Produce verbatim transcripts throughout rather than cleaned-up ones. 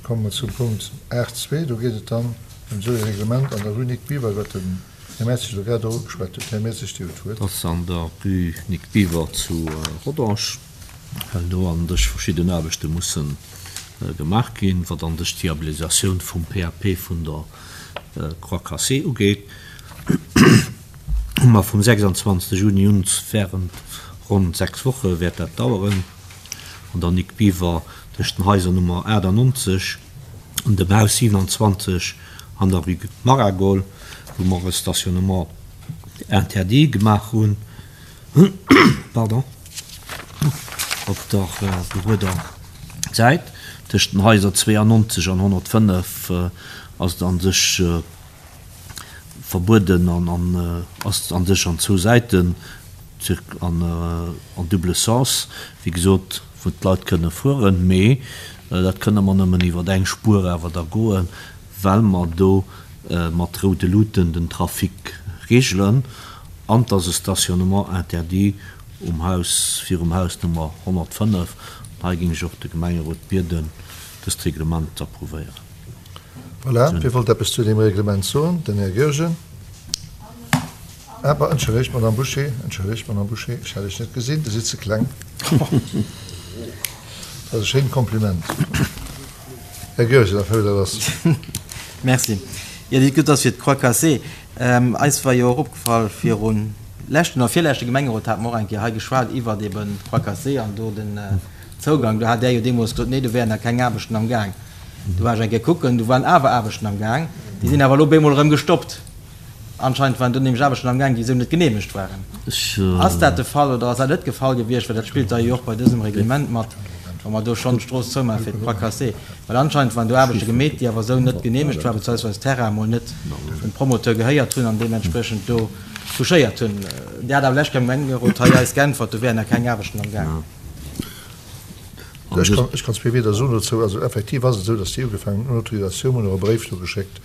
komme mer zum Punkt aacht zwee. Do geet et dann ëm esou ee Reglement an der Rue Nic Biver, iwwert den Här Mertzig elo grad och ugeschwat huet. Här Mertzig, Dir hutt d'Wuert. Dat ass an der Rue Nic Biver zu Rodange, well do an sech verschidden Aarbechte musse gemaach ginn, wat an sech d'Viabilisatioun vum P A P vun der Croix Cassée ugeet. Hu mer vum sechsundzwanzegste Juni un während ronn sechs Woche wäert dat daueren, an der Nic Biver tëscht den Haiser Nummer achtannonzeg an dem Haus siewenundzwanzeg an der Rue Maragol, wou mer e Stationnement interdit gemaach hunn, pardon, op der gerueder Säit. Tëscht den Haiser zweiundneunzeg an honnertfënnef ass et an sech verbueden an, an, ass an sech an zwou Säiten an, an double Sens, wéi gesot, wou d'Leit kënne fueren, mee dat kënne mer nëmmen iwwer eng Spuer awer da goen, well mer do mat roude Luten den Trafic regelen an dass e Stationnement interdit um Haus, virum Haus Nummer honnertfënnef. Hei ging ech och de Gemengerot bieden, dëst Reglement ze approuvéieren. Voilà, wie wollt etwas zu dem Reglement soen? Den Här Goergen. Aber entschuldigt, Madame Bouché, entschuldigt, Madame Bouché, ich hätte dich nicht gesehen, du sitzt zu klein. Das ist ein schönes Kompliment. Herr Goergen, da fällt das. Merci. Ja, die gut, dass wir Croix Cassée. Ähm, eis war ja och opgefall virun leschten oder virleschte Gemengerot hat mer och eng Kéier hei geschwat iwwer eben d'Croix Cassée an do den, äh, Zougang. Do hat der jo deemools gesot, nee, do wären da keng Aarbechten am Gang. Do war ech eng Kéier kucken, do waren awer Aarbechten am Gang. Déi sinn awer elo bemol erëm gestoppt. Anscheinend waren do nämlech Aarbechten am Gang, déi esou net geneemegt waren. Ech, äh, Ass dat de Fall oder ass dat net de Fall gewiescht? Well dat spillt da jo och bei dësem Reglement mat, wa mer do schonn d'Strooss zoumaache fir d'Croix Cassée. Well anscheinend waren do Aarbechte gemeet, déi awer esou net geneemegt waren, beziehungsweise Terrain mol net dem Promoteur gehéiert hunn an deementsprechend do touchéiert hunn. Der hat awer lescht Gemengerot hei eis geäntwert, do wären da keng Aarbechten am Gang. Ja. Ech kann, ech kann zwee Wieder soen dazu. Also effektiv ass et esou, dass déi ugefaangen hunn, Autorisatioun hunn och e Bréif do geschéckt.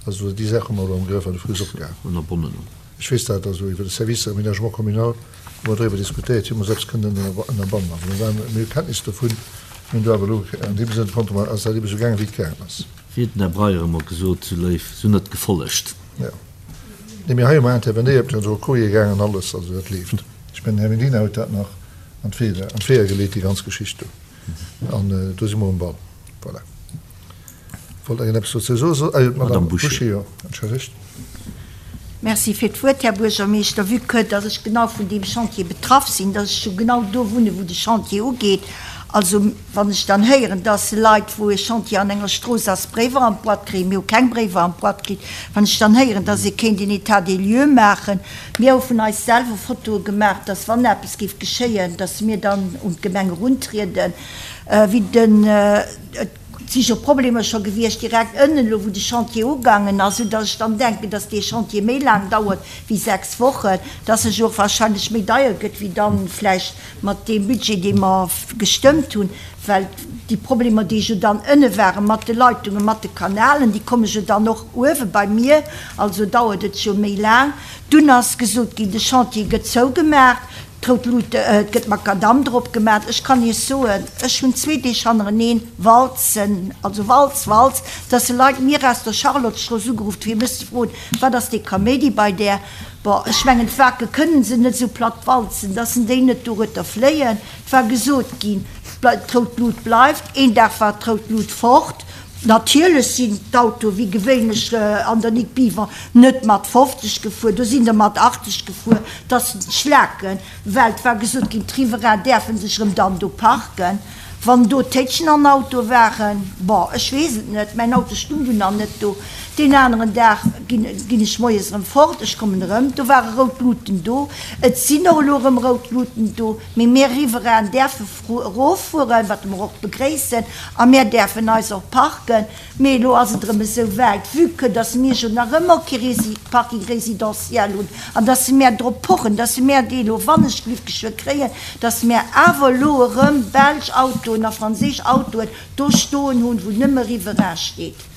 Also déi Sache hu mer elo am Grëff an de Fuss opgaangen. Ënnerbonnen. Ech weess dat, also iwwer de Service Aménagement communal hu mer driwwer diskutéiert, hu mer selbst kënnen ënnerbannen. Also mir waren, mir hu Kenntnis dovun, mir hunn do awer elo an deem Sënn konnte mer, ass dat eben esou gaangen, wéi et gaangen ass. Wéi huet den Här Breyer ëmmer gesot, sou léif, sou net gefollegt. Ja. Nee, mir hei hu mer intervenéiert, mir hunn esou Courrier gaangen an alles, also dat leeft. Ech mengen, Här Medina huet dat nach an d'Weeër, an d'Weeër geleet, déi ganz Geschicht do. An, äh, do si mer um Ball. Voilà. Wollt der etwas dazu soen? So, äh, Madame Madame Bouché. Bouché, ja, entschuldigt. Merci fir d'Wuert, Här Buergermeeschter. Vu que, dass ech genau vun deem Chantier betraff sinn, dass ech schon genau do wunne, wou de Chantier ugeet. Also, wann ech dann héieren, dass Leit, wou e Chantier an enger Strooss ass, Bréiwer an d'Boîte kréien, mir hu keng Bréiwer an d'Boîte kritt, wann ech dann héieren, dass ee kéint een État des lieux maachen, mir hu vun eis selwer Fotoe gemaach, dass wann eppes géif geschéien, dass mir dann un d'Gemeng eruntrieden, äh, wéi den, äh, et si jo Problemer scho gewiescht direkt ënnen elo, wou de Chantier ugaangen ass, sou dass ech dann denken, dass dee Chantier méi laang dauert wéi sechs Wochen, dass e jo och wahrscheinlech méi deier gëtt, wéi dann vläicht mat deem Budget, dee mer gestëmmt hunn, well déi Problemer, déi jo dann ënne waren mat de Leitungen, mat de Kanalen, déi komme jo dann och uewe bei mir, also dauert et jo méi laang. Dunn ass gesot ginn, de Chantier gëtt zougemaach, d'rout Lut, äh, et gëtt Makadam drop gemaach. Ech kann Iech soen, ech hunn zwee Deeg hannereneen Walzen, also Walz, Walz, dass se Leit mir aus der Charlottestrooss ugeruff fir mech ze froen, wat ass dee Kaméidi bei där? Bon, ech mengen, d'Wake kënnen se net sou platt walzen, dass se déi net dorueter fléien. Et war gesot ginn, d'rout Lut bleift. Een Dag war d'rout Lut fort. Natierlech sinn d'Auto wéi gewéinlech, äh, an der Nic Biver net mat fofzeg gefuer, do sinn der mat achtzeg gefuer, dass d'Schlaken, well et war gesot ginn, d'Riverain däerfen sech erëm dann do parken. Wann do Téitschen an Auto waren, bon, ech weess et net, mäin Auto stung dunn nach net do. Deen aneren Dag ginn, ginn ech moies erëm fort, ech kommen erëm, do ware rout Luten do. Et sinn och elo erëm rout Luten do, mee mir Riverain däerfe eroffueren, wat mer och begréissen, a mir däerfen eis och parken. Mee elo ass et erëm esou wäit, vu que dass mir jo nach ëmmer kee Resi-, Parking résidentiel hunn, an dass se mir drop pochen, dass se mir dee elo wann ech Glück geschwë kréien, dass mir awer elo erëm belsch Autoen a franséisch Autoen do stoen hunn, wou nëmme Riverain steet.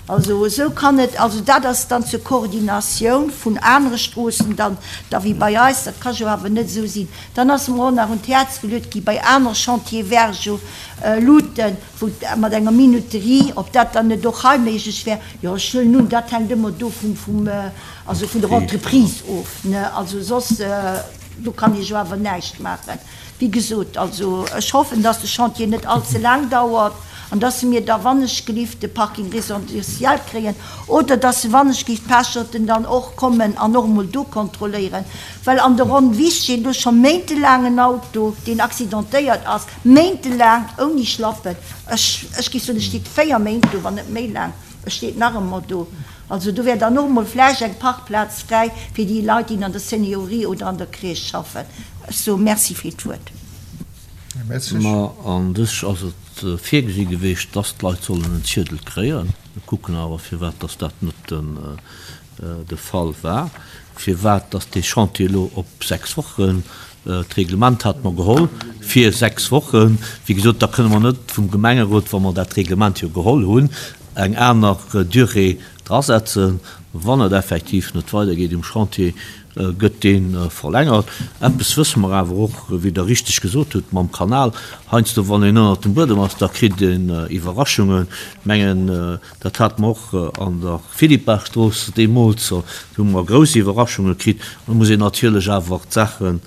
Also esou kann et, also dat ass dann zur Koordinatioun vun anere Stroossen dann da wéi bei eis, dat ka jo awer net esou sinn. Dann ass mer och nach un d'Häerz geluet gi bei aner Chantiere Vergio, Luuten, wou mat enger Minuterie, ob dat dann net och hei méiglech wär. Jo, ech huelen un, dat hänkt ëmmer do vum, vum, also vun der Entreprise of, ne, also soss do kann ee jo awer näischt maachen. Wéi gesot, also ech hoffen, dass de Chantier net all ze laang dauert an dass mir da wannechgelift de Parking résidentiel kréien oder dass se wannechgelift d'Pecherten dann och kommen an och emol do kontrolléieren, well an der Ronn Wiss steet elo scho méintelaang en Auto, deen accidentéiert ass, méintelaang ouni Schlappen. Ech, ech géif soen, e steet véier Méint do, wann net méi laang, e steet nach ëmmer do. Also do wär dann och emol vläicht eng Parkplaz fräi fir déi Leit, déi an der Seniorie oder an der Crèche schaffen. Ech soe Merci fir d'Wuert. Här Mertzig. Ma an dech ass et virgesi geweecht, dass d'Leit sollen en Ziedel kréien. Mir kucken awer, firwat dass dat net de Fall war, firwat dass dee Chantier elo op sechs Wochen, d'Reglement hate mer geholl fir sechs Wochen, wéi gesot, da kënne mer net vum Gemengerot, wa mer dat Reglement jo geholl hunn, eng aner Durée drasetzen. Wann et effektiv net weidergeet um Chantier, gëtt dee verlängert. Eppes wësse mer awer och, wéi Der richteg gesot hutt, mam Kanal, heiansdo wann een ënnert dem Buedem ass, da kritt een Iwwerraschungen. Ech mengen, dat hate mer och an der Philippartstrooss deemools, do hu mer grouss Iwwerraschunge kritt. Do muss een natierlech awer d'Saachen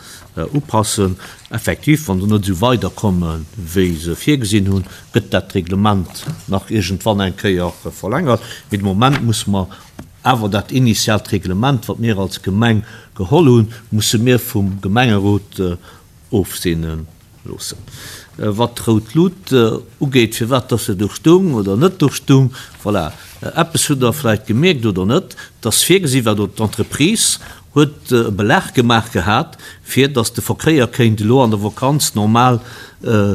upassen. Effektiv, wann se net esou weiderkomme wéi se virgesinn hunn, gëtt dat Reglement nach iergendwann eng Kéier verlängert. Mee de Moment musse mer awer dat initiaalt Reglement, wat mir als Gemeng geholl hunn, musse mir vum Gemengerot ofseene loossen. Wat d'Rout Lut ugeet, firwat dass se do stung oder net do stung, voilà, eppes hutt Der vläicht gemierkt oder net, dass virgesi war, oder d'Entreprise huet e Belag gemaach gehat, fir dass de Verkéier kéint elo an der Vakanz normal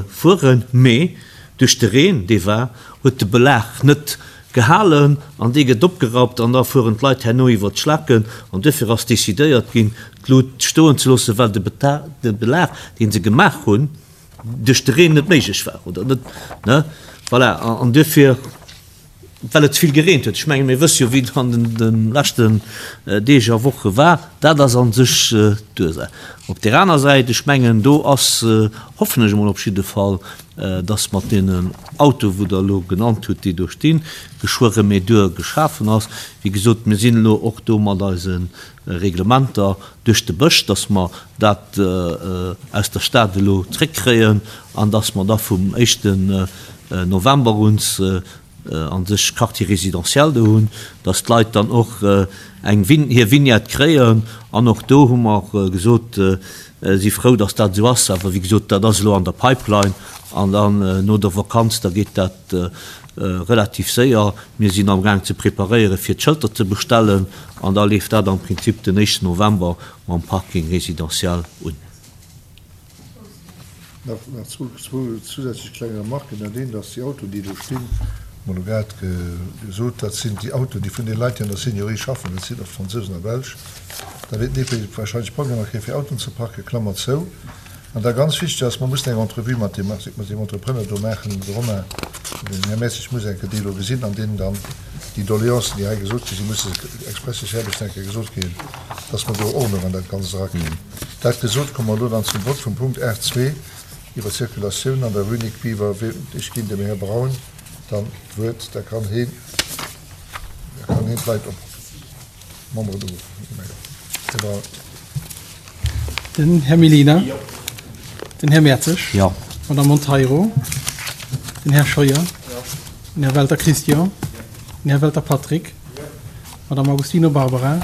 fueren, mee duerch de Reen, dee war, huet de Belag net gehalen an dee gëtt opgerappt an da fueren d'Leit herno iwwert d'Schlaken an duerfir ass decidéiert ginn, d'Lut stoen ze loossen, well de de Belag, dee se gemaach hunn, duerch de Reen net méiglech war oder net, ne? Voilà, an duerfir, well et ze vill gereent huet. Ech menge mir wësse jo, wéi et an de leschten Deeg a Woche war. Dat ass a sech d'Ursaach. Op där aner Säit, ech mengen, do ass, hoffen ech emol op jidde Fall, dass mat deenen Autoe wou Der elo genannt hutt, déi do stinn, geschwë Remedur geschafen ass. Wéi gesot, mir sinn elo och do mat eise Reglementer duerch de Bësch, dass mer dat aus der Stad elo zréckkréien an dass mer da vum éischten November un a sech Quartier résidentiel do hunn, dass d'Leit dann och eng hir Vignette kréien. An och do hu mer gesot, si frou, dass dat esou ass. Awer wéi gesot, dat ass elo an der Pipeline an dann no der Vakanz, da geet dat relativ séier. Mir sinn amgaang ze preparéieren, fir d'Schëlter ze bestellen an da leeft dat am Prinzip den éischten November mam Parking résidentiel un. Nach zwou zousätzlech kleng Remarken. Dat eent ass, déi Autoen, déi do stinn, hu mer elo grad gesot, dat sinn déi Autoen, déi vun deene Leit, déi an der Seniorie schaffen, dat sinn oft Fransousen a Belsch, da wäert den E P wahrscheinlech Problemer kréien, fir Autoen ze parken, Klammer zou. An da ganz wichteg ass, mer mussen eng Entrevue mat deem mat deem Entrepreneur do maachen, de Romain, den Här Messig muss eng Kéier déi elo gesinn an deenen dann déi Doleancen, déi hei gesot gi sinn, musse expressis verbis eng Kéier gesot kréien, dass mer do Ordnung an dat Ganzt erakréien. Dat gesot, komme mer elo dann zum Vott vum Punkt aacht zwee iwwer d'Circulatioun an der Rue Nic Biver. Ech ginn dem Här Braun dann d'Wuert, da kann heen, da kann heen d'Leit op, d'Memberen uruffen. Här Braun. Den Här Mellina. Jo. Den Här Mertzig. Jo. D'Madame Monteiro. Den Här Scheuer. Jo. Den Här Welter Christian. Jo. Den Här Welter Patrick. Jo. D'Madame Agostino Barbara.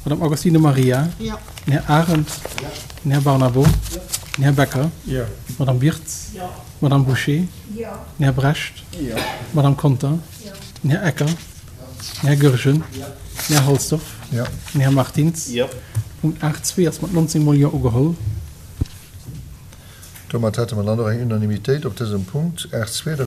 D'Madame Agostino Maria. Jo. Den Här Arendt. Jo. Den Här Barnabo. Jo. Den Här Becker. Jo. D'Madame Wirtz. Jo. D'Madame Bouché. Jo. Den Här Brecht. Jo. D'Madame Conter. Jo. Den Här Ecker. Den Här Goergen. Jo. Den Här Halsdorf. Jo. Den Här Martins. Jo. Punkt aacht zwee ass mat nonzéng mol Jo ugeholl. Domat hätte mer dann och eng Unanimitéit op dësem Punkt aacht zwee.